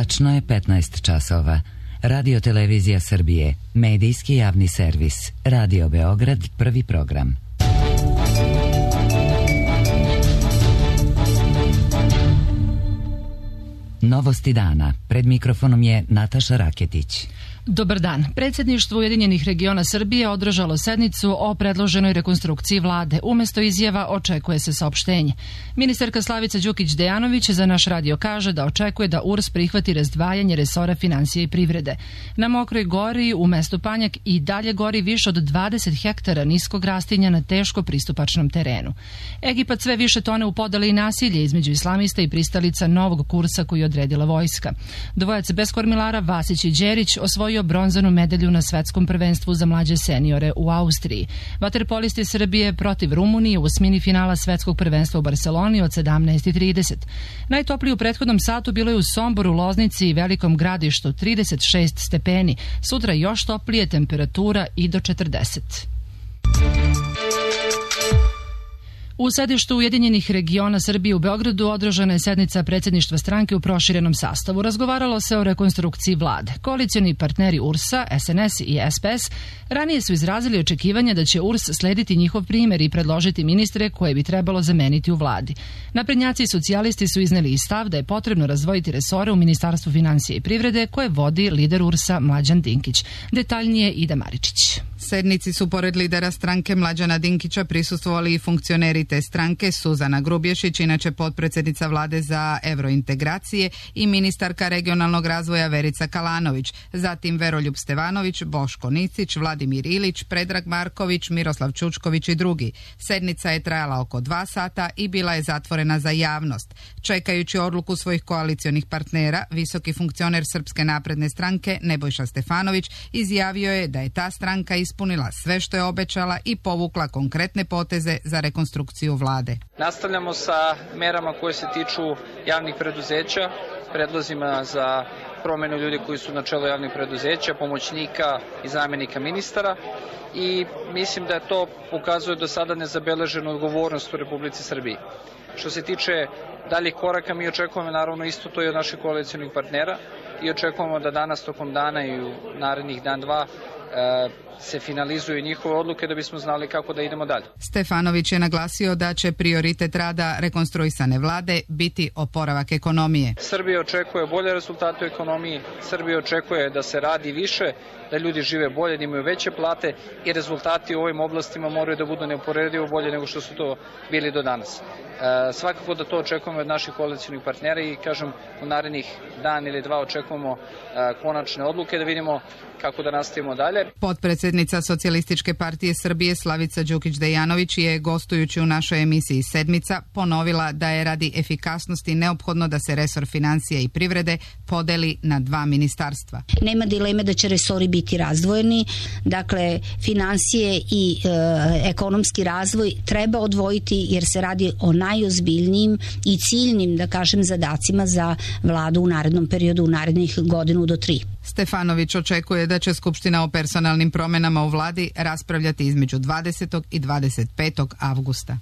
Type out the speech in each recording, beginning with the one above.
Tačno je 15 časova. Radio Televizija Srbije, medijski javni servis, Radio Beograd, prvi program. Novosti dana. Pred mikrofonom je Nataša Raketić. Dobar dan. Predsjedništvo Ujedinjenih regiona Srbije održalo sednicu o predloženoj rekonstrukciji vlade. Umesto izjava očekuje se saopštenje. Ministarka Slavica Đukić Dejanović za naš radio kaže da očekuje da URS prihvati razdvajanje resora financije i privrede. Na Mokroj Gori u mestu Panjak i dalje gori više od 20 hektara niskog rastinja na teško pristupačnom terenu. Egipat sve više tone u podeli i nasilje između islamista i pristalica novog kursa koji je odredila vojska. Dvojac bez kormilara Vasić i Đerić osvojio bronzanu medalju na svetskom prvenstvu za mlađe seniore u Austriji. Vaterpolisti Srbije protiv Rumunije u osmini finala svetskog prvenstva u Barseloni od 17:30. Najtoplije u prethodnom satu bilo je u Somboru, Loznici i Velikom Gradištu 36 stepeni. Sutra još toplije, temperatura i do 40. U sedištu Ujedinjenih regiona Srbije u Beogradu održana je sednica predsjedništva stranke u proširenom sastavu. Razgovaralo se o rekonstrukciji vlade. Koalicioni partneri URS-a, SNS i SPS ranije su izrazili očekivanje da će URS slediti njihov primjer i predložiti ministre koje bi trebalo zameniti u vladi. Naprednjaci i socijalisti su izneli i stav da je potrebno razdvojiti resore u Ministarstvu financije i privrede koje vodi lider URS-a Mlađan Dinkić. Detaljnije Ida Maričić. Sednici su pored lidera stranke Mlađana Dinkića prisustvovali i funkcioneri te stranke Suzana Grubješić, inače potpredsjednica vlade za evrointegracije, i ministarka regionalnog razvoja Verica Kalanović, zatim Veroljub Stevanović, Boško Nicić, Vladimir Ilić, Predrag Marković, Miroslav Čučković i drugi. Sednica je trajala oko 2 sata i bila je zatvorena za javnost. Čekajući odluku svojih koalicionih partnera, visoki funkcioner Srpske napredne stranke Nebojša Stefanović izjavio je da je ta stranka ispunila sve što je obećala i povukla konkretne poteze za rekonstrukciju vlade. Nastavljamo sa merama koje se tiču javnih preduzeća, predlozima za promenu ljudi koji su na čelu javnih preduzeća, pomoćnika i zamjenika ministara, i mislim da to pokazuje do sada nezabeleženu odgovornost u Republici Srbiji. Što se tiče daljih koraka, mi očekujemo naravno isto to i od naših koalicionih partnera i očekujemo da danas tokom dana i u narednih dan, dva se finalizuju njihove odluke da bismo znali kako da idemo dalje. Stefanović je naglasio da će prioritet rada rekonstruisane vlade biti oporavak ekonomije. Srbija očekuje bolje rezultate u ekonomiji, Srbija očekuje da se radi više, da ljudi žive bolje, da imaju veće plate i rezultati u ovim oblastima moraju da budu neuporedivo bolje nego što su to bili do danas. Svakako da to očekujemo od naših koalicionih partnera i kažem u narednih dan ili dva očekujemo konačne odluke da vidimo kako da nastavimo dalje. Potpredsjednica Socijalističke partije Srbije Slavica Đukić Dejanović je, gostujući u našoj emisiji Sedmica, ponovila da je radi efikasnosti neophodno da se resor financije i privrede podeli na 2 ministarstva. Nema dileme da će resori biti razdvojeni, dakle financije i ekonomski razvoj treba odvojiti jer se radi o najozbiljnijim i ciljnim, da kažem, zadacima za vladu u narednom periodu, u narednih 1 do 3. Stefanović očekuje da će Skupština o personalnim promjenama u vladi raspravljati između 20. i 25. avgusta.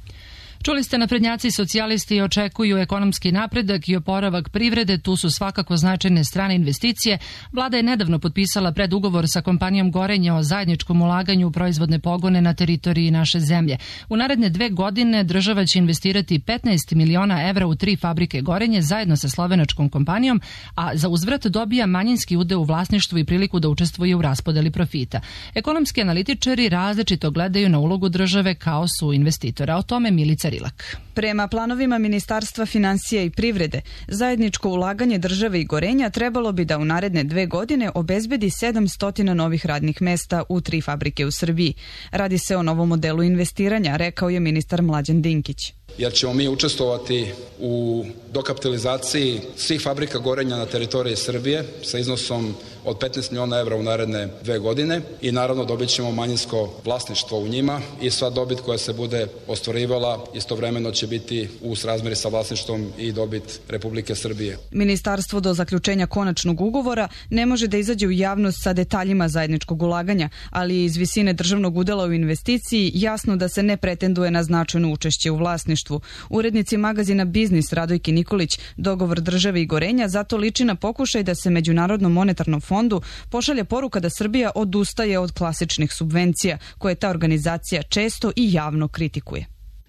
Čuli ste, naprednjaci i socijalisti očekuju ekonomski napredak i oporavak privrede, tu su svakako značajne strane investicije. Vlada je nedavno potpisala predugovor sa kompanijom Gorenja o zajedničkom ulaganju u proizvodne pogone na teritoriji naše zemlje. U naredne 2 godine država će investirati 15 miliona evra u 3 fabrike Gorenje zajedno sa slovenačkom kompanijom, a za uzvrat dobija manjinski udeo u vlasništvu i priliku da učestvuje u raspodeli profita. Ekonomski analitičari različito gledaju na ulogu države kao su investitora. O tome Milica Rilak. Prema planovima Ministarstva financija i privrede, zajedničko ulaganje države i Gorenja trebalo bi da u naredne 2 godine obezbedi 700 novih radnih mesta u 3 fabrike u Srbiji. Radi se o novom modelu investiranja, rekao je ministar Mlađan Dinkić. Jer ćemo mi učestvovati u dokapitalizaciji svih fabrika Gorenja na teritoriji Srbije sa iznosom od 15 miliona evra u naredne 2 godine i naravno dobit ćemo manjinsko vlasništvo u njima i sva dobit koja se bude ostvarivala istovremeno će biti u srazmeri sa vlasništvom i dobit Republike Srbije. Ministarstvo do zaključenja konačnog ugovora ne može da izađe u javnost sa detaljima zajedničkog ulaganja, ali iz visine državnog udela u investiciji jasno da se ne pretenduje na značajno učešće u vlasništvu. Urednici magazina Biznis Radojki Nikolić, dogovor države i Gorenja zato liči na pokušaj da se Međunarodnom monetarnom fondu pošalje poruka da Srbija odustaje od klasičnih subvencija koje ta organizacija često i javno kritikuje.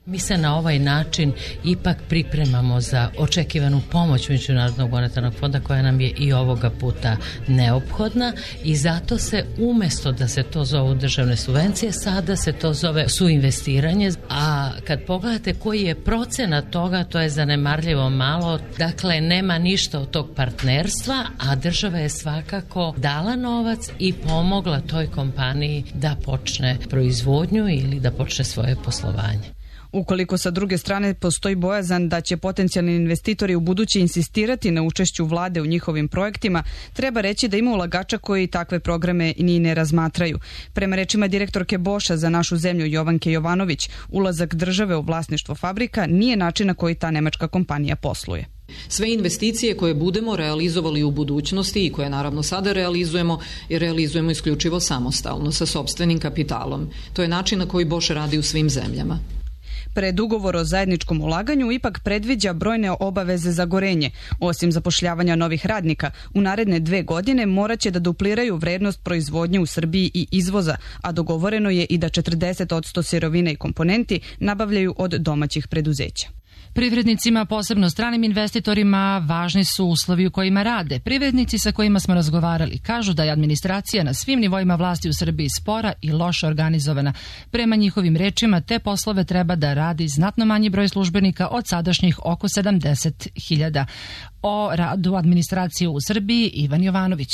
Mi se na ovaj način ipak pripremamo za očekivanu pomoć Međunarodnog monetarnog fonda koja nam je i ovoga puta neophodna i zato se umjesto da se to zovu državne subvencije, sada se to zove suinvestiranje, a kad pogledate koji je procenat toga, to je zanemarljivo malo, dakle nema ništa od tog partnerstva, a država je svakako dala novac i pomogla toj kompaniji da počne proizvodnju ili da počne svoje poslovanje. Ukoliko sa druge strane postoji bojazan da će potencijalni investitori u buduće insistirati na učešću vlade u njihovim projektima, treba reći da ima ulagača koji takve programe ni ne razmatraju. Prema rečima direktorke Boša za našu zemlju Jovanke Jovanović, ulazak države u vlasništvo fabrika nije način na koji ta nemačka kompanija posluje. Sve investicije koje budemo realizovali u budućnosti i koje naravno sada realizujemo isključivo samostalno sa sopstvenim kapitalom. To je način na koji Bosch radi u svim zemljama. Predugovor o zajedničkom ulaganju ipak predviđa brojne obaveze za Gorenje. Osim zapošljavanja novih radnika, u naredne 2 godine morat će da dupliraju vrednost proizvodnje u Srbiji i izvoza, a dogovoreno je i da 40% sirovine i komponenti nabavljaju od domaćih preduzeća. Privrednicima, posebno stranim investitorima, važni su uslovi u kojima rade. Privrednici sa kojima smo razgovarali kažu da je administracija na svim nivoima vlasti u Srbiji spora i loše organizovana. Prema njihovim rečima, te poslove treba da radi znatno manji broj službenika od sadašnjih oko 70.000. O radu administracije u Srbiji Ivan Jovanović.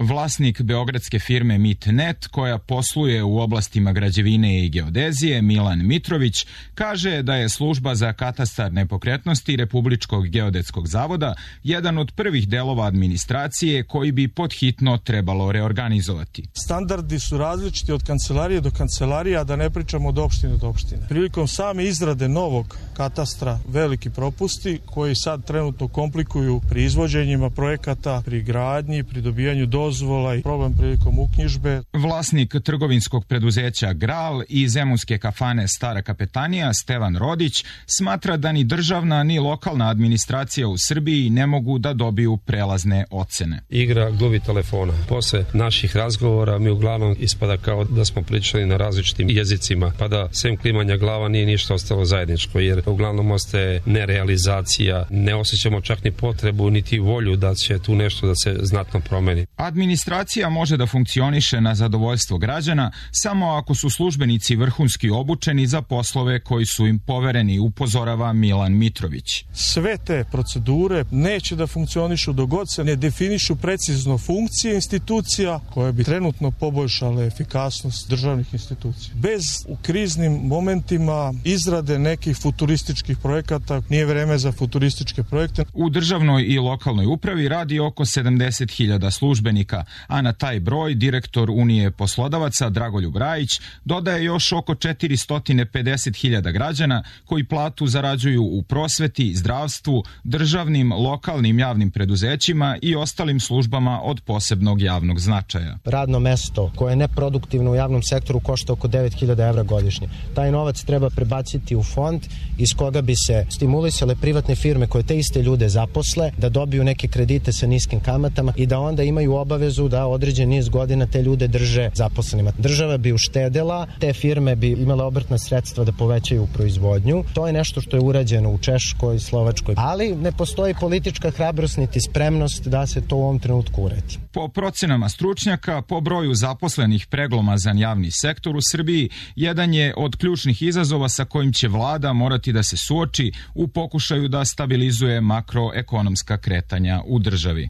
Vlasnik beogradske firme MITNET, koja posluje u oblastima građevine i geodezije, Milan Mitrović, kaže da je služba za katastar nepokretnosti Republičkog geodetskog zavoda jedan od prvih delova administracije koji bi podhitno trebalo reorganizovati. Standardi su različiti od kancelarije do kancelarije, a da ne pričamo od opštine do opštine. Prilikom same izrade novog katastra veliki propusti koji sad trenutno komplikuju pri izvođenjima projekata, pri gradnji, pri dobijanju dozvola i problem prilikom uknjižbe. Vlasnik trgovinskog preduzeća Gral i zemunske kafane Stara kapetanija Stevan Rodić smatra da ni državna ni lokalna administracija u Srbiji ne mogu da dobiju prelazne ocene. Igra gluvi telefona. Posle naših razgovora mi uglavnom ispada kao da smo pričali na različitim jezicima, pa da sem klimanja glava nije ništa ostalo zajedničko, jer uglavnom ostaje nerealizacija, ne osjećamo čak ni potrebu niti volju da će tu nešto da se znatno promeni. Administracija može da funkcioniše na zadovoljstvo građana samo ako su službenici vrhunski obučeni za poslove koji su im povereni, upozorava Milan Mitrović. Sve te procedure neće da funkcionišu dok god se ne definišu precizno funkcije institucija koje bi trenutno poboljšale efikasnost državnih institucija. Bez u kriznim momentima izrade nekih futurističkih projekata nije vreme za futurističke projekte. U državnoj i lokalnoj upravi radi oko 70.000 službenika, a na taj broj direktor Unije poslodavaca Dragoljub Rajić dodaje još oko 450.000 građana koji platu zarađuju u prosveti, zdravstvu, državnim, lokalnim javnim preduzećima i ostalim službama od posebnog javnog značaja. Radno mesto koje je neproduktivno u javnom sektoru košta oko 9.000 evra godišnje. Taj novac treba prebaciti u fond iz koga bi se stimulisale privatne firme koje te iste ljude zaposle, da dobiju neke kredite sa niskim kamatama i da onda imaju obavezu da određen niz godina te ljude drže zaposlenima. Država bi uštedela, te firme bi imale obrtna sredstva da povećaju proizvodnju. To je nešto što je urađeno u Češkoj, Slovačkoj, ali ne postoji politička hrabrost niti spremnost da se to u ovom trenutku uredi. Po procenama stručnjaka, po broju zaposlenih preglomazan javni sektor u Srbiji jedan je od ključnih izazova sa kojim će vlada morati da se suoči u pokušaju da stabilizuje makroekonomska kretanja u državi.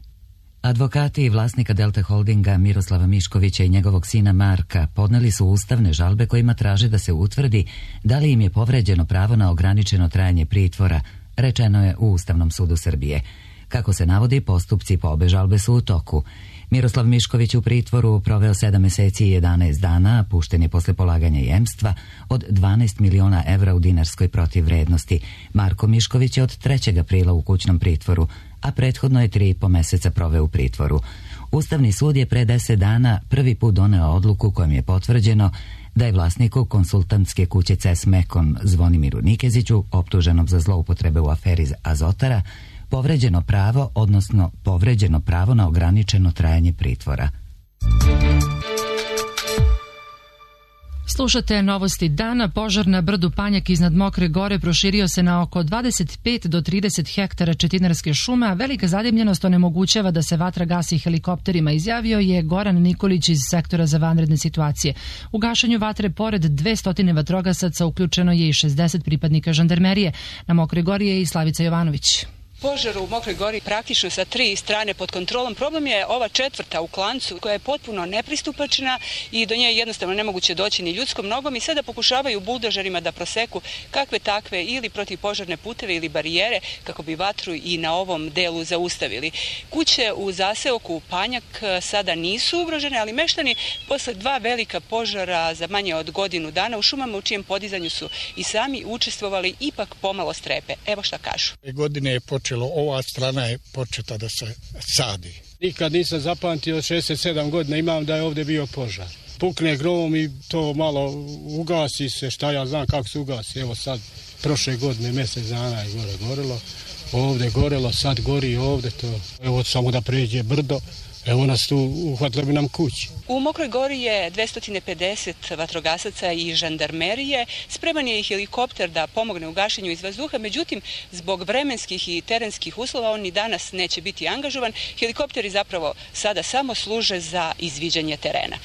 Advokati i vlasnika Delta Holdinga Miroslava Miškovića i njegovog sina Marka podneli su ustavne žalbe kojima traže da se utvrdi da li im je povređeno pravo na ograničeno trajanje pritvora, rečeno je u Ustavnom sudu Srbije. Kako se navodi, postupci po obe žalbe su u toku. Miroslav Mišković u pritvoru proveo 7 meseci i 11 dana, pušten je posle polaganja jemstva od 12 miliona evra u dinarskoj protivvrednosti. Marko Mišković je od 3. aprila u kućnom pritvoru, a prethodno je 3,5 meseca proveo u pritvoru. Ustavni sud je pre 10 dana prvi put doneo odluku kojom je potvrđeno da je vlasniku konsultantske kuće CES Mekon Zvonimiru Nikeziću, optuženom za zloupotrebe u aferi Azotara, povređeno pravo, odnosno povređeno pravo na ograničeno trajanje pritvora. Slušate novosti dana. Požar na brdu Panjak iznad Mokre Gore proširio se na oko 25 do 30 hektara četinarske šume, a velika zadimljenost onemogućava da se vatra gasi helikopterima, izjavio je Goran Nikolić iz sektora za vanredne situacije. U gašenju vatre pored 200 vatrogasaca uključeno je i 60 pripadnika žandarmerije. Na Mokroj Gori je i Slavica Jovanović. Požar u Mokroj Gori praktično sa 3 strane pod kontrolom. Problem je ova 4. u klancu koja je potpuno nepristupačna i do nje je jednostavno nemoguće doći ni ljudskom nogom i sada pokušavaju buldožerima da proseku kakve takve ili protivpožarne puteve ili barijere kako bi vatru i na ovom delu zaustavili. Kuće u zaseoku Panjak sada nisu ugrožene, ali meštani posle 2 velika požara za manje od godinu dana u šumama u čijem podizanju su i sami učestvovali ipak pomalo strepe. Evo šta kažu. Godine je ova strana je početa da se sadi. Nikad nisam zapamtio, 67 godina imam da je ovdje bio požar. Pukne grom i to malo ugasi se, šta ja znam kako se ugasi. Evo sad, prošle godine, mjesec dana je gorelo, ovdje gorelo, sad gori ovdje to. Evo samo da pređe brdo, evo nas tu uhvatili bi nam kući. U Mokroj Gori je 250 vatrogasaca i žandarmerije. Spreman je i helikopter da pomogne u gašenju iz vazduha, međutim, zbog vremenskih i terenskih uslova on ni danas neće biti angažovan. Helikopteri zapravo sada samo služe za izviđanje terena.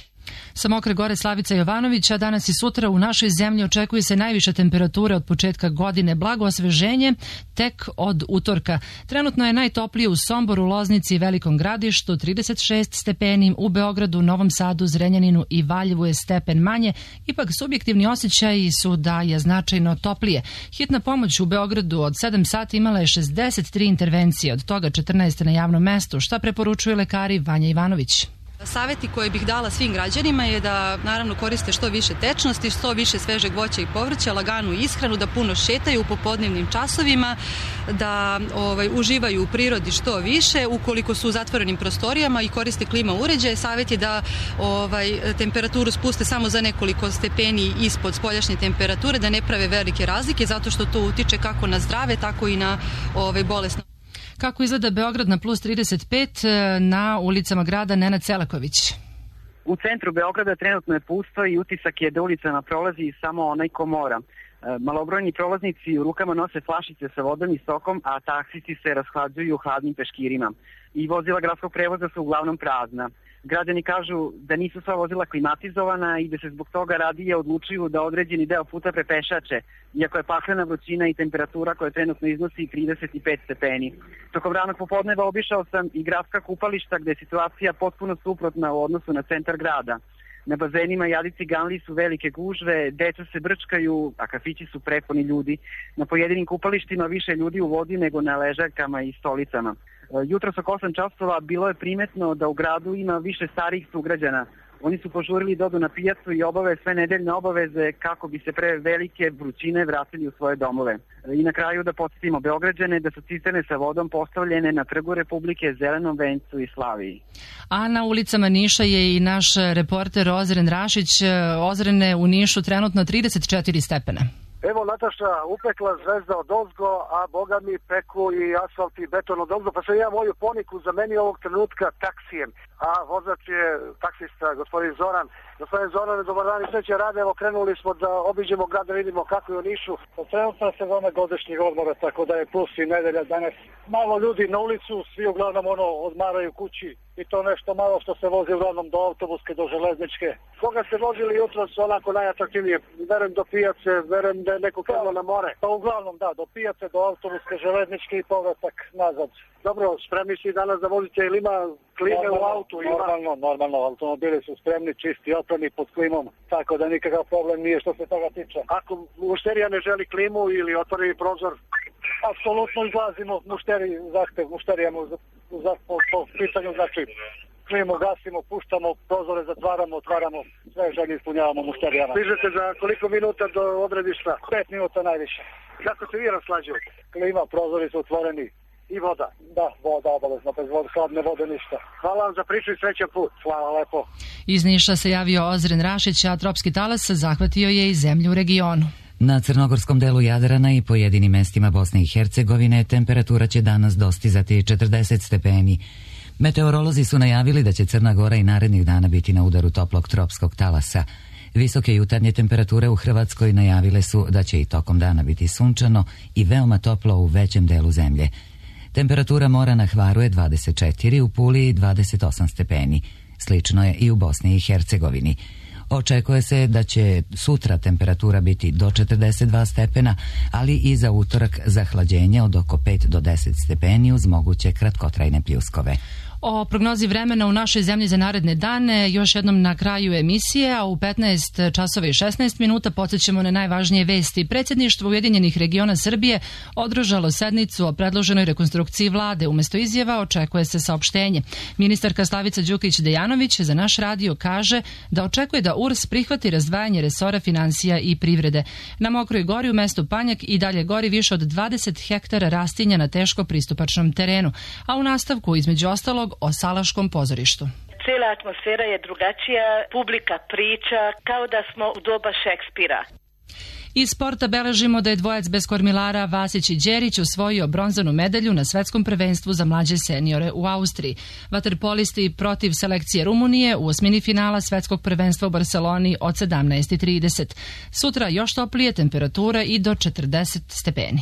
Sa Mokre Gore Slavica Jovanović, a danas i sutra u našoj zemlji očekuje se najviše temperature od početka godine, blago osveženje tek od utorka. Trenutno je najtoplije u Somboru, Loznici i Velikom Gradištu, 36 stepeni, u Beogradu, Novom Sadu, Zrenjaninu i Valjevu je stepen manje, ipak subjektivni osjećaji su da je značajno toplije. Hitna pomoć u Beogradu od 7 sati imala je 63 intervencije, od toga 14 na javnom mestu, šta preporučuju lekari Vanja Ivanović. Savjeti koje bih dala svim građanima je da naravno koriste što više tečnosti, što više svežeg voća i povrća, laganu ishranu, da puno šetaju u popodnevnim časovima, da uživaju u prirodi što više. Ukoliko su u zatvorenim prostorijama i koriste klima uređaje, savjet je da temperaturu spuste samo za nekoliko stepeni ispod spoljašnje temperature, da ne prave velike razlike, zato što to utiče kako na zdrave, tako i na bolesno. Kako izgleda Beograd na plus 35 na ulicama grada? Nenad Selaković. U centru Beograda trenutno je pusto i utisak je da ulicama prolazi samo onaj ko mora. Malobrojni prolaznici u rukama nose flašice sa vodom i sokom, a taksisti se rashlađuju hladnim peškirima. I vozila gradskog prevoza su uglavnom prazna. Građani kažu da nisu sva vozila klimatizovana i da se zbog toga radije odlučuju da određeni deo puta prepešače, iako je paklena vrućina i temperatura koja trenutno iznosi 35 stepeni. Tokom ranog popodneva obišao sam i gradska kupališta gde je situacija potpuno suprotna u odnosu na centar grada. Na bazenima Jadici Ganli su velike gužve, deca se brčkaju, a kafići su prepuni ljudi. Na pojedinim kupalištima više ljudi u vodi nego na ležaljkama i stolicama. Jutros oko 8 časova bilo je primetno da u gradu ima više starijih sugrađana. Oni su požurili da odu na pijacu i obave sve nedeljne obaveze kako bi se pre velike vrućine vratili u svoje domove. I na kraju da podsjetimo Beograđane da su cisterne sa vodom postavljene na Trgu Republike, Zelenom vencu i Slaviji. A na ulicama Niša je i naš reporter Ozren Rašić. Ozrene, u Nišu trenutno 34 stepena. Evo Nataša, upekla zvezda od ozgo, a boga mi peku i asfalt i beton od ozgo, pa sam ja moju poniku zamenio ovog trenutka taksijem, a vozač je taksista, gospodin Zoran. Gospodin Zoran, dobar dan i sreće rade, evo krenuli smo da obiđemo grad, da vidimo kako je u Nišu. Trenutno je sezona godišnjeg odmora, tako da je plus i nedelja danas. Malo ljudi na ulicu, svi uglavnom odmaraju kući i to nešto malo što se vozi uglavnom do autobuske, do železničke. Koga ste vozili jutros onako najatraktivnije? Verujem do pijace, verujem da je neko krenuo na more. Pa uglavnom da, do pijace, do autobuske, železničke i povratak nazad. Dobro, spremni si danas da vozite ili ima klime u autu? Normalno, automobili su spremni, čisti, oprani pod klimom, tako da nikakav problem nije što se toga tiče. Ako mušterija ne želi klimu ili otvori prozor, apsolutno izlazimo mušterijama po pitanju, znači klimo gasimo, puštamo prozore, zatvaramo, otvaramo, sve želje ispunjavamo mušterijama. Stižete za koliko minuta do odredišta? 5 minuta najviše. Kako se vi raslađujete? Klima, prozori su otvoreni. I voda. Da, voda obavezno, bez vode, hladne vode ništa. Hvala vam za priču i srećan put. Hvala lepo. Iz Niša se javio Ozren Rašić, a tropski talas zahvatio je i zemlju u regionu. Na crnogorskom delu Jadrana i pojedinim mestima Bosne i Hercegovine temperatura će danas dostizati 40 stepeni. Meteorolozi su najavili da će Crna Gora i narednih dana biti na udaru toplog tropskog talasa. Visoke jutarnje temperature u Hrvatskoj najavile su da će i tokom dana biti sunčano i veoma toplo u većem delu zemlje. Temperatura mora na Hvaru je 24, u Puli 28 stepeni. Slično je i u Bosni i Hercegovini. Očekuje se da će sutra temperatura biti do 42 stepena, ali i za utorak zahlađenje od oko 5 do 10 stepeni uz moguće kratkotrajne pljuskove. O prognozi vremena u našoj zemlji za naredne dane još jednom na kraju emisije, a u 15 časova i 16 minuta podsjećamo na najvažnije vesti. Predsjedništvo Ujedinjenih regiona Srbije održalo sednicu o predloženoj rekonstrukciji vlade. Umesto izjava očekuje se saopštenje. Ministarka Slavica Đukić-Dejanović za naš radio kaže da očekuje da URS prihvati razdvajanje resora finansija i privrede. Na Mokroj gori u mestu Panjak i dalje gori više od 20 hektara rastinja na teško pristupačnom terenu, a u nastavku između ostalog o Salaškom pozorištu. Cijela atmosfera je drugačija, publika priča kao da smo u doba Šekspira. Iz sporta beležimo da je dvojac bez kormilara Vasić i Đerić osvojio bronzanu medalju na svetskom prvenstvu za mlađe seniore u Austriji. Vaterpolisti protiv selekcije Rumunije u osmini finala svetskog prvenstva u Barceloni od 17:30. Sutra još toplije, temperatura i do 40 stepeni.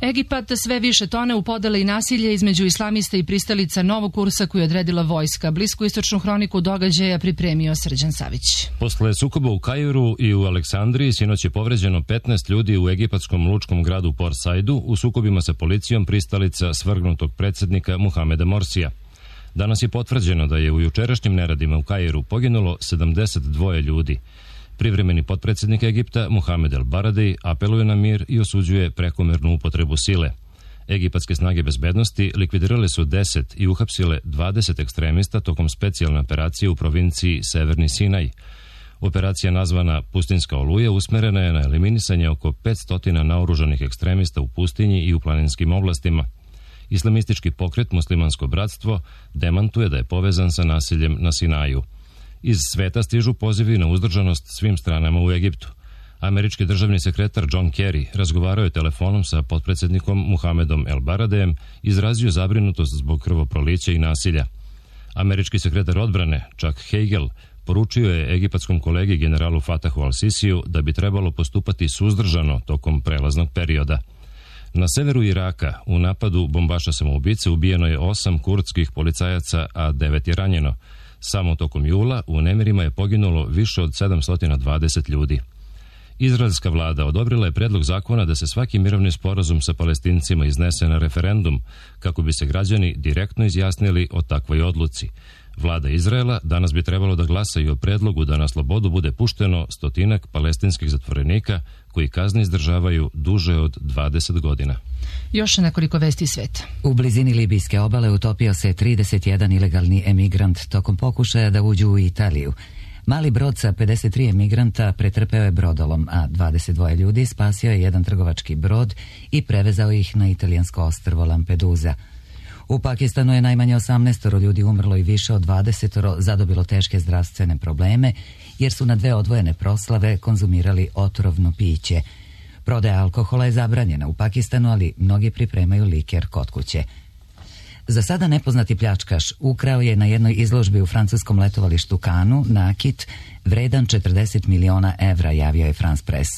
Egipat sve više tone u podele i nasilje između islamista i pristalica novog kursa koju je odredila vojska. Bliskoistočnu hroniku događaja pripremio Srđan Savić. Posle sukoba u Kairu i u Aleksandriji sinoć je povređeno 15 ljudi u egipatskom lučkom gradu Port Saidu u sukobima sa policijom pristalica svrgnutog predsjednika Muhameda Morsija. Danas je potvrđeno da je u jučerašnjim neradima u Kairu poginulo 72 ljudi. Privremeni potpredsjednik Egipta Mohamed El Baradei apeluje na mir i osuđuje prekomernu upotrebu sile. Egipatske snage bezbednosti likvidirale su 10 i uhapsile 20 ekstremista tokom specijalne operacije u provinciji Severni Sinaj. Operacija nazvana Pustinska oluja usmerena je na eliminisanje oko 500 naoružanih ekstremista u pustinji i u planinskim oblastima. Islamistički pokret Muslimansko bratstvo demantuje da je povezan sa nasiljem na Sinaju. Iz sveta stižu pozivi na uzdržanost svim stranama u Egiptu. Američki državni sekretar John Kerry razgovarao je telefonom sa potpredsjednikom Muhamedom El Baradejem i izrazio zabrinutost zbog krvoprolića i nasilja. Američki sekretar odbrane Chuck Hagel poručio je egipatskom kolegi generalu Fatahu al-Sisiju da bi trebalo postupati suzdržano tokom prelaznog perioda. Na severu Iraka u napadu bombaša samoubice ubijeno je 8 kurdskih policajaca, a 9 je ranjeno. Samo tokom jula u nemirima je poginulo više od 720 ljudi. Izraelska vlada odobrila je predlog zakona da se svaki mirovni sporazum sa Palestincima iznese na referendum, kako bi se građani direktno izjasnili o takvoj odluci. Vlada Izraela danas bi trebalo da glasaju o predlogu da na slobodu bude pušteno 100 palestinskih zatvorenika koji kazne izdržavaju duže od 20 godina. Još nekoliko vesti sveta. U blizini libijske obale utopio se 31 ilegalni emigrant tokom pokušaja da uđu u Italiju. Mali brod sa 53 emigranta pretrpeo je brodolom, a 22 ljudi spasio je jedan trgovački brod i prevezao ih na italijansko ostrvo Lampedusa. U Pakistanu je najmanje 18 ljudi umrlo i više od 20 zadobilo teške zdravstvene probleme jer su na 2 odvojene proslave konzumirali otrovno piće. Prodaja alkohola je zabranjena u Pakistanu, ali mnogi pripremaju liker kod kuće. Za sada nepoznati pljačkaš ukrao je na jednoj izložbi u francuskom letovalištu Kanu nakit vredan 40 miliona evra, javio je France Press.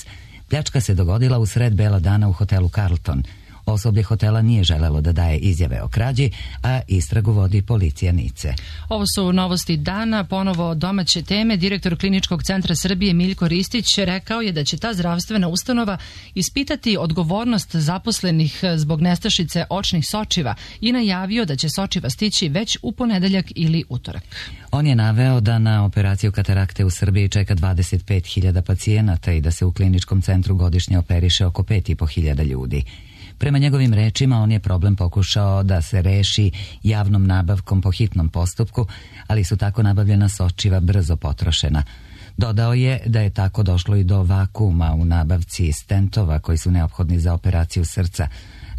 Pljačka se dogodila u sred bela dana u hotelu Carlton. Osoblje hotela nije želelo da daje izjave o krađi, a istragu vodi policija Nice. Ovo su novosti dana, ponovo domaće teme. Direktor Kliničkog centra Srbije Miljko Ristić rekao je da će ta zdravstvena ustanova ispitati odgovornost zaposlenih zbog nestašice očnih sočiva i najavio da će sočiva stići već u ponedeljak ili utorak. On je naveo da na operaciju katarakte u Srbiji čeka 25.000 pacijenata i da se u kliničkom centru godišnje operiše oko 5.500 ljudi. Prema njegovim rečima, on je problem pokušao da se reši javnom nabavkom po hitnom postupku, ali su tako nabavljena sočiva brzo potrošena. Dodao je da je tako došlo i do vakuma u nabavci stentova koji su neophodni za operaciju srca,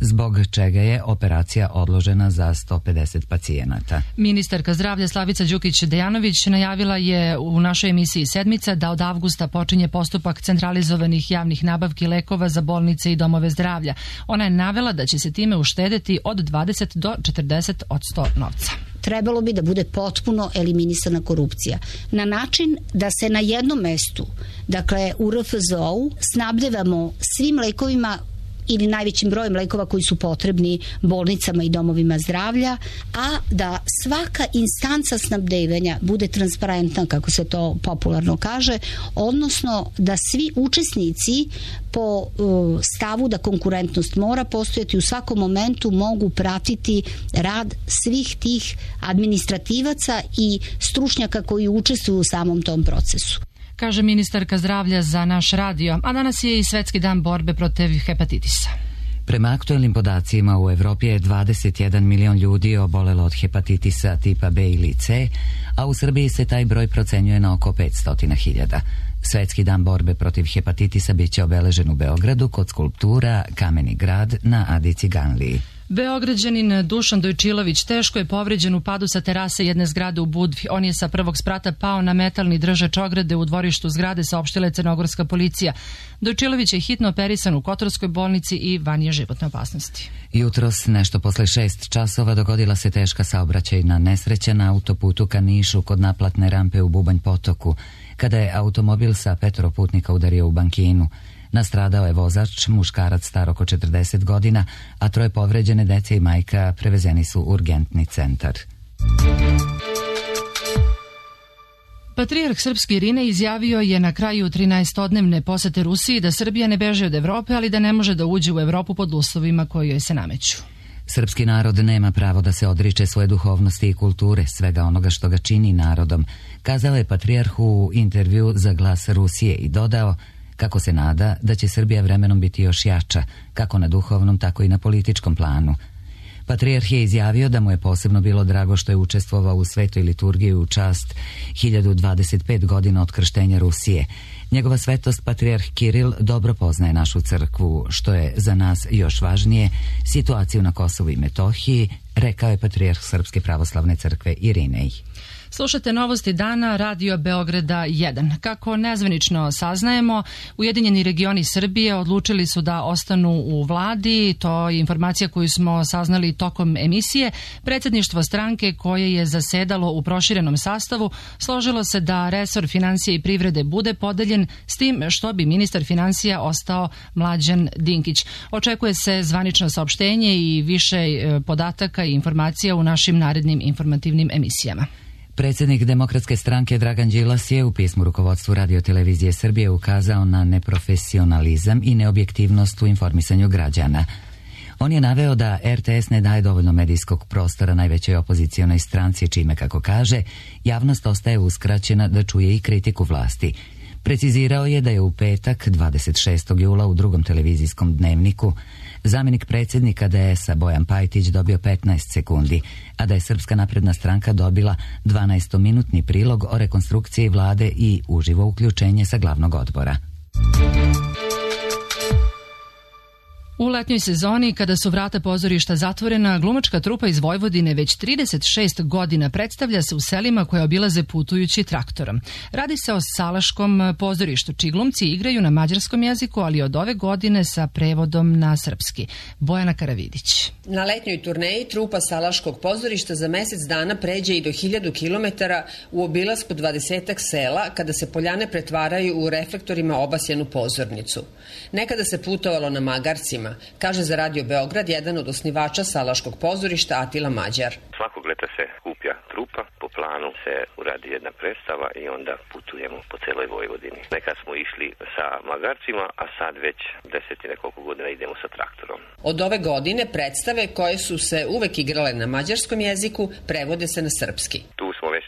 zbog čega je operacija odložena za 150 pacijenata. Ministarka zdravlja Slavica Đukić-Dejanović najavila je u našoj emisiji Sedmica da od avgusta počinje postupak centralizovanih javnih nabavki lekova za bolnice i domove zdravlja. Ona je navela da će se time uštedeti od 20 do 40% novca. Trebalo bi da bude potpuno eliminisana korupcija. Na način da se na jednom mestu, dakle u RFZO-u, snabdevamo svim lekovima ili najvećim brojem lekova koji su potrebni bolnicama i domovima zdravlja, a da svaka instanca snabdevanja bude transparentna, kako se to popularno kaže, odnosno da svi učesnici po stavu da konkurentnost mora postojati u svakom momentu mogu pratiti rad svih tih administrativaca i stručnjaka koji učestvuju u samom tom procesu. Kaže ministarka zdravlja za naš radio, a danas je i Svetski dan borbe protiv hepatitisa. Prema aktuelnim podacima u Evropi je 21 milion ljudi obolelo od hepatitisa tipa B ili C, a u Srbiji se taj broj procenjuje na oko 500.000. Svetski dan borbe protiv hepatitisa biće obeležen u Beogradu kod skulptura Kameni grad na Adi Ciganliji. Beograđanin Dušan Dojčilović teško je povređen u padu sa terase jedne zgrade u Budvi. On je sa prvog sprata pao na metalni držač ograde u dvorištu zgrade, saopštila je crnogorska policija. Dojčilović je hitno operisan u Kotorskoj bolnici i van je životne opasnosti. Jutros, nešto posle 6 časova, dogodila se teška saobraćajna nesreća na autoputu ka Nišu kod naplatne rampe u Bubanj potoku, kada je automobil sa 5 putnika udario u bankinu. Nastradao je vozač, muškarac star oko 40 godina, a 3 povređene dece i majka prevezeni su u urgentni centar. Patrijarh srpski Irinej izjavio je na kraju 13-dnevne posete Rusiji da Srbija ne beže od Evrope, ali da ne može da uđe u Evropu pod uslovima koji joj se nameću. Srpski narod nema pravo da se odriče svoje duhovnosti i kulture, svega onoga što ga čini narodom, kazao je patrijarh u intervju za Glas Rusije i dodao kako se nada da će Srbija vremenom biti još jača, kako na duhovnom, tako i na političkom planu. Patrijarh je izjavio da mu je posebno bilo drago što je učestvovao u svetoj liturgiji u čast 1025 godina od krštenja Rusije. Njegova svetost patrijarh Kiril dobro poznaje našu crkvu, što je za nas još važnije, situaciju na Kosovu i Metohiji, rekao je patrijarh Srpske pravoslavne crkve Irinej. Slušate novosti dana Radio Beograda 1. Kako nezvanično saznajemo, Ujedinjeni regioni Srbije odlučili su da ostanu u vladi. To je informacija koju smo saznali tokom emisije. Predsjedništvo stranke koje je zasedalo u proširenom sastavu složilo se da resor financije i privrede bude podeljen, s tim što bi ministar financija ostao Mlađan Dinkić. Očekuje se zvanično saopštenje i više podataka i informacija u našim narednim informativnim emisijama. Predsjednik Demokratske stranke Dragan Đilas je u pismu rukovodstvu Radio-televizije Srbije ukazao na neprofesionalizam i neobjektivnost u informisanju građana. On je naveo da RTS ne daje dovoljno medijskog prostora najvećoj opozicionoj stranci, čime, kako kaže, javnost ostaje uskraćena da čuje i kritiku vlasti. Precizirao je da je u petak, 26. jula, u drugom televizijskom dnevniku zamjenik predsjednika DS-a Bojan Pajtić dobio 15 sekundi, a da je Srpska napredna stranka dobila 12-minutni prilog o rekonstrukciji vlade i uživo uključenje sa glavnog odbora. U letnjoj sezoni, kada su vrata pozorišta zatvorena, glumačka trupa iz Vojvodine već 36 godina predstavlja se u selima koje obilaze putujući traktorom. Radi se o Salaškom pozorištu, čiji glumci igraju na mađarskom jeziku, ali od ove godine sa prevodom na srpski. Bojana Karavidić. Na letnjoj turneji trupa Salaškog pozorišta za mesec dana pređe i do 1000 kilometara u obilasku 20 sela, kada se poljane pretvaraju u reflektorima obasjenu pozornicu. Nekada se putovalo na magarcima, kaže za Radio Beograd jedan od osnivača Salaškog pozorišta Atila Mađar. Svakog leta se kuplja trupa, po planu se uradi jedna predstava i onda putujemo po celoj Vojvodini. Nekad smo išli sa magarcima, a sad već 10 i nekoliko godina idemo sa traktorom. Od ove godine predstave koje su se uvek igrale na mađarskom jeziku prevode se na srpski. Tu smo već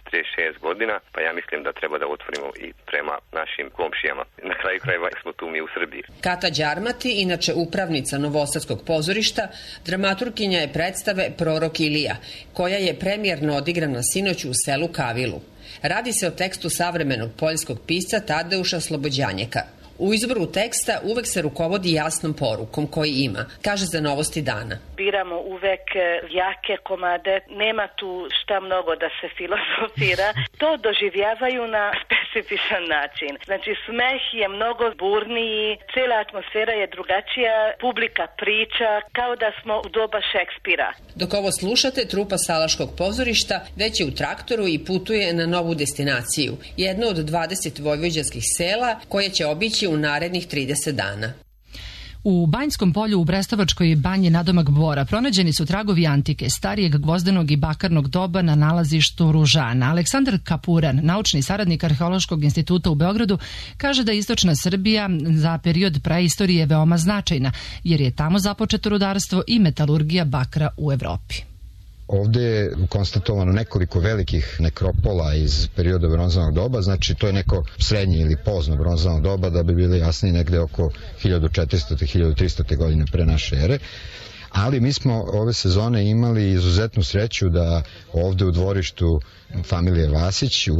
6 godina, pa ja mislim da treba da otvorimo i prema našim komšijama. Na kraju krajeva smo tu mi u Srbiji. Kata Đarmati, inače upravnica Novosadskog pozorišta, dramaturginja je predstave Prorok Ilija, koja je premijerno odigrana sinoć u selu Kavilu. Radi se o tekstu savremenog poljskog pisca Tadeuša Slobodjanjeka. U izboru teksta uvek se rukovodi jasnom porukom koji ima, kaže za Novosti dana. Biramo uvek jake komade, nema tu šta mnogo da se filozofira, to doživljavaju na specifičan način. Znači smeh je mnogo burniji, cijela atmosfera je drugačija, publika priča kao da smo u doba Šekspira. Dok ovo slušate, trupa Salaškog pozorišta već je u traktoru i putuje na novu destinaciju, jedno od 20 vojvođanskih sela koje će obići u narednih 30 dana. U Banjskom polju u Brestovačkoj banji nadomak Bora pronađeni su tragovi antike, starijeg gvozdenog i bakarnog doba na nalazištu Ružana. Aleksandar Kapuran, naučni saradnik Arheološkog instituta u Beogradu, kaže da istočna Srbija za period praistorije je veoma značajna, jer je tamo započeto rudarstvo i metalurgija bakra u Evropi. Ovde je konstatovano nekoliko velikih nekropola iz perioda bronzanog doba, znači to je neko srednje ili pozno bronzano doba, da bi bili jasniji negde oko 1400-1300 godine pre naše ere. Ali mi smo ove sezone imali izuzetnu sreću da ovde u dvorištu familije Vasić u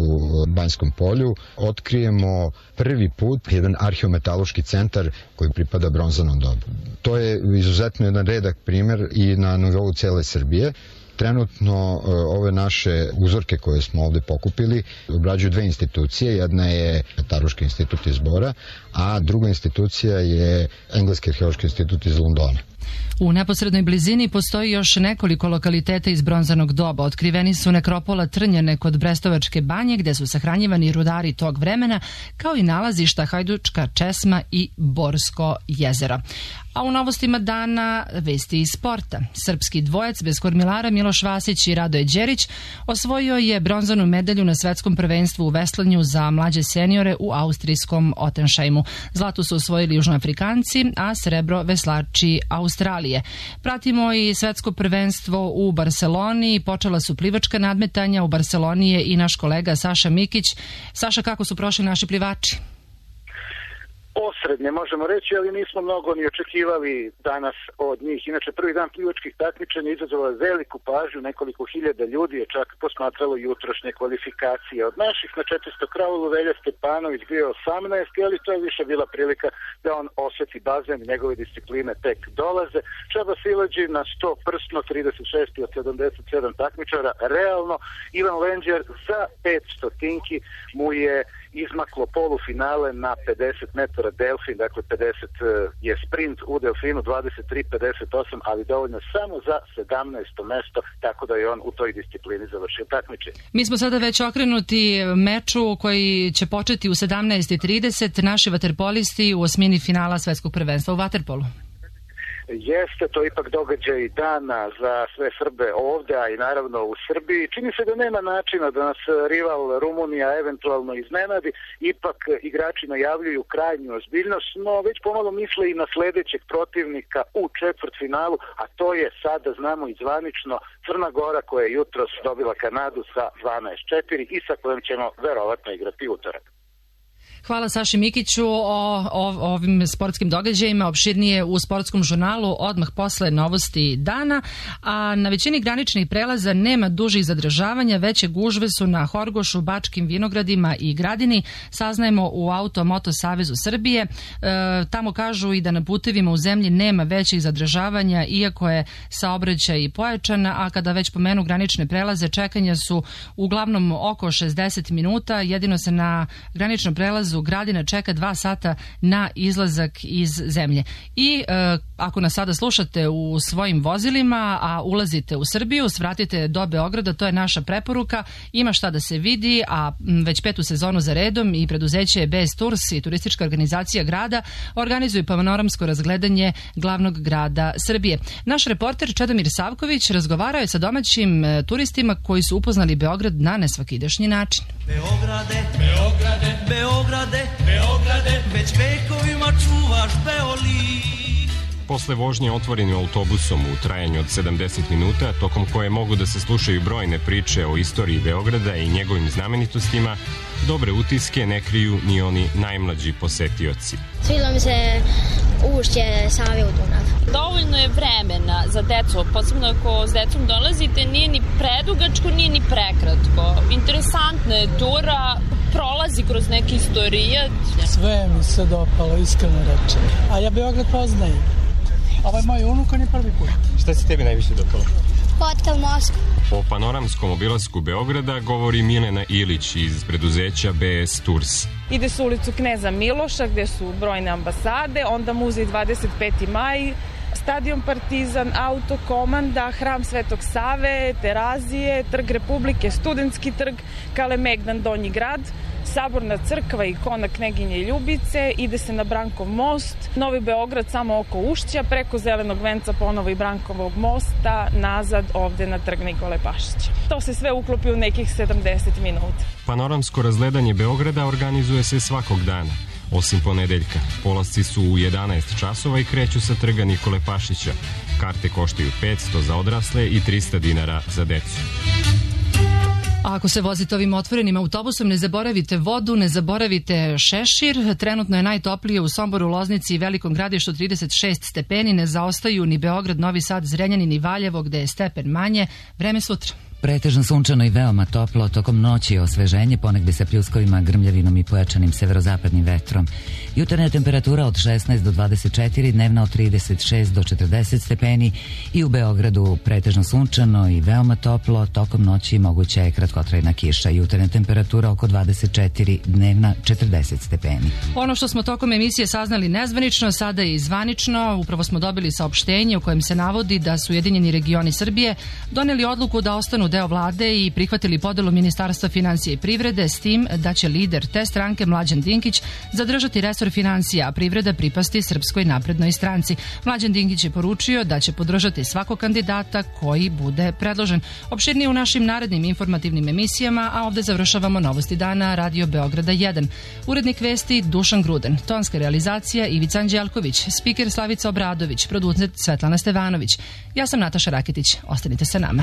Banjskom polju otkrijemo prvi put jedan arheometaloški centar koji pripada bronzanom dobu. To je izuzetno jedan redak primer i na nivou cele Srbije. Trenutno ove naše uzorke koje smo ovde pokupili obrađuju dve institucije. Jedna je Metaruški institut iz Bora, a druga institucija je Engleski arheološki institut iz Londona. U neposrednoj blizini postoji još nekoliko lokaliteta iz bronzanog doba. Otkriveni su nekropola Trnjane kod Brestovačke banje, gde su sahranjivani rudari tog vremena, kao i nalazišta Hajdučka česma i Borsko jezero. A u novostima dana vesti iz sporta. Srpski dvojac bez kormilara Miloš Vasić i Radoje Đerić osvojio je bronzanu medalju na svetskom prvenstvu u veslanju za mlađe seniore u austrijskom Ottenšajmu. Zlato su osvojili Južnoafrikanci, a srebro veslači Australije. Pratimo i svetsko prvenstvo u Barseloni. Počela su plivačka nadmetanja. U Barseloni je i naš kolega Saša Mikić. Saša, kako su prošli naši plivači? Osrednje možemo reći, ali nismo mnogo ni očekivali danas od njih. Inače, prvi dan plivačkih takmičenja izazvao je veliku pažnju, nekoliko hiljada ljudi je čak posmatralo jutrošnje kvalifikacije. Od naših na 400 kraulu Velja Stepanović bio 18, ali to je više bila prilika da on osjeti bazen i njegove discipline tek dolaze. Čaba Silađi na 100 prsno, 36 od 77 takmičara, realno. Ivan Lenđer za 500 tinki mu je izmaklo polufinale na 50 metara delfin, dakle 50 je sprint u delfinu, 23-58, ali dovoljno samo za 17. mesto, tako da je on u toj disciplini završio takmičenje. Mi smo sada već okrenuti meču koji će početi u 17:30. Naši vaterpolisti u osmini finala svetskog prvenstva u vaterpolu. Jeste, to je ipak događaj dana za sve Srbe ovde, a i naravno u Srbiji. Čini se da nema načina da nas rival Rumunija eventualno iznenadi, ipak igrači najavljuju krajnju ozbiljnost, no već pomalo misle i na sledećeg protivnika u četvrtfinalu, a to je sada, znamo i zvanično, Crna Gora koja je jutros dobila Kanadu sa 12:4 i sa kojom ćemo verovatno igrati utorak. Hvala Saši Mikiću o ovim sportskim događajima, opširnije u sportskom žurnalu odmah posle novosti dana, a na većini graničnih prelaza nema dužih zadržavanja, veće gužve su na Horgošu, Bačkim Vinogradima i Gradini, saznajemo u Auto-Moto Savezu Srbije. Tamo kažu i da na putevima u zemlji nema većih zadržavanja, iako je saobraćaj i pojačan, a kada već pomenu granične prelaze, čekanja su uglavnom oko 60 minuta, jedino se na graničnom prelazu Gradina čeka 2 sata na izlazak iz zemlje. I ako nas sada slušate u svojim vozilima, a ulazite u Srbiju, svratite do Beograda, to je naša preporuka. Ima šta da se vidi, a već 5. sezonu za redom i preduzeće BS Tours i turistička organizacija grada organizuju panoramsko razgledanje glavnog grada Srbije. Naš reporter Čedomir Savković razgovarao je sa domaćim turistima koji su upoznali Beograd na nesvakidašnji način. Beograde, Beograde, Beograde, Beograde, već vekovima čuvaš Beoli. Posle vožnje otvorenim autobusom u trajanju od 70 minuta, tokom koje mogu da se slušaju brojne priče o istoriji Beograda i njegovim znamenitostima, dobre utiske ne kriju ni oni najmlađi posetioci. Svidilo mi se ušće Save u Dunav. Dovoljno je vremena za decu, posebno ako s decom dolazite, nije ni predugačko, nije ni prekratko. Interesantna je tura, prolazi kroz neki istorijat. Sve mi se dopalo, iskreno rečem. A ja Beograd poznajem. Ovo je moj unuk, on je prvi put. Šta se tebi najviše dopalo? Hotel Moskva. O panoramskom obilasku Beograda govori Milena Ilić iz preduzeća BS Tours. Ide se u ulicu Kneza Miloša gde su brojne ambasade, onda muzej 25. maj, stadion Partizan, Autokomanda, hram Svetog Save, Terazije, Trg Republike, Studentski trg, Kalemegdan, Donji grad, Saborna crkva i ikona Kneginje Ljubice, ide se na Brankov most, Novi Beograd samo oko Ušća, preko Zelenog venca ponovo i Brankovog mosta, nazad ovde na Trg Nikole Pašića. To se sve uklopi u nekih 70 minuta. Panoramsko razgledanje Beograda organizuje se svakog dana, osim ponedeljka. Polasci su u 11 časova i kreću sa Trga Nikole Pašića. Karte koštaju 500 za odrasle i 300 dinara za decu. A ako se vozite ovim otvorenim autobusom, ne zaboravite vodu, ne zaboravite šešir. Trenutno je najtoplije u Somboru, Loznici i Velikom Gradištu 36 stepeni. Ne zaostaju ni Beograd, Novi Sad, Zrenjanin i Valjevo gde je stepen manje. Vreme sutra. Pretežno sunčano i veoma toplo, tokom noći osveženje, ponegde sa pljuskovima, grmljavinom i pojačanim severozapadnim vetrom. Jutarnja temperatura od 16 do 24, dnevna od 36 do 40 stepeni i u Beogradu pretežno sunčano i veoma toplo, tokom noći moguća je kratkotrajna kiša. Jutarnja temperatura oko 24, dnevna 40 stepeni. Ono što smo tokom emisije saznali nezvanično, sada je i zvanično. Upravo smo dobili saopštenje u kojem se navodi da su Ujedinjeni regioni Srbije doneli odluku da ostanu deo vlade i prihvatili podelu Ministarstva finansija i privrede, s tim da će lider te stranke Mlađan Dinkić zadržati resor finansija, a privreda pripasti Srpskoj naprednoj stranci. Mlađan Dinkić je poručio da će podržati svakog kandidata koji bude predložen. Opširnije u našim narednim informativnim emisijama, a ovde završavamo Novosti dana Radio Beograda 1. Urednik vesti Dušan Gruden, tonska realizacija Ivica Anđelković, spiker Slavica Obradović, producent Svetlana Stevanović. Ja sam Nataša Raketić. Ostanite sa nama.